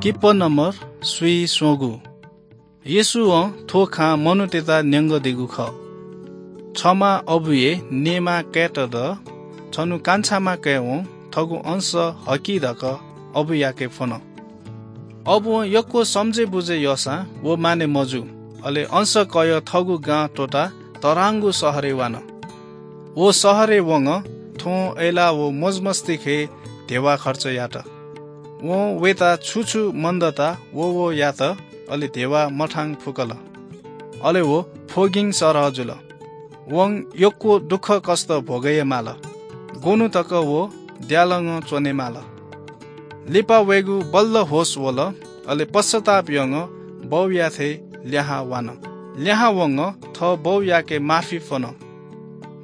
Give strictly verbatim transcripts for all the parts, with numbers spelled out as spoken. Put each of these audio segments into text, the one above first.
Kippah number स्वीस्वंगू। येशूं थ्व खँ मनूतय्त न्यंकादीगु खः। छम्ह अबुया नेमां काय्त द। छन्हु कान्छाम्ह काय्वं थःगु अंश हकि धकाः अबुयाके फ्वन। अबुं यक्व समझय् बुझय् याःसां व माने मजू। अले अंश कयाः थःगु गां त्वःताः तःधंगु शहरय् वान। व शहरय् वंगः थ्वं अय्लाः व मजमस्ती खँय् धेबा खर्च यात। वं वय्त छु छु मन्दत व व यात, अले धेबा मथां फुकल। अले व फ्वगिं सरह जुल। वं यक्व दुःखकष्ट भोगय् याये माल। ग्वन्हु तक व द्यालंगः च्वने माल। लिपा वय्गु बल्ल होश वल, अले पश्चाताप यानाः बौयाथाय् लिहां वान। लिहां वंगः थः बौयाके माफी फ्वन।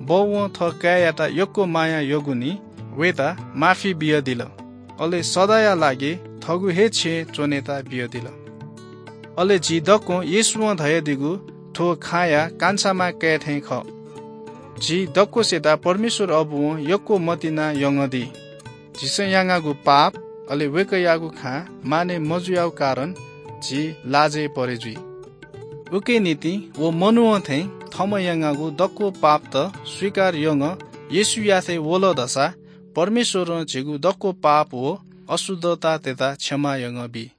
बौं थः काय्‌यात यक्व माया याःगुलिं वय्त माफी बियादिल। अले सदांया लागि थःगु हे छेँय् च्वनेत बियादिल। अले झी दक्वं येशूं धयादीगु थ्व खँया कान्छाम्ह काय् थें खः। झी दक्वसित परमेश्वर अबुं यक्व मतिना यंकादी। झीसं यानागु पाप, अले वय्कःयागु खँ माने मजुयागु कारणं झी लाजय् परे जुइ। उकिया निंतिं व मनूं थें थःम्हं यानागु दक्व पापत स्वीकार यानाः येशूयाथाय् वल धाःसा परमेश्वरं झीगु दक्व पाप व अशुद्धतातय्त क्षमा यानाबी।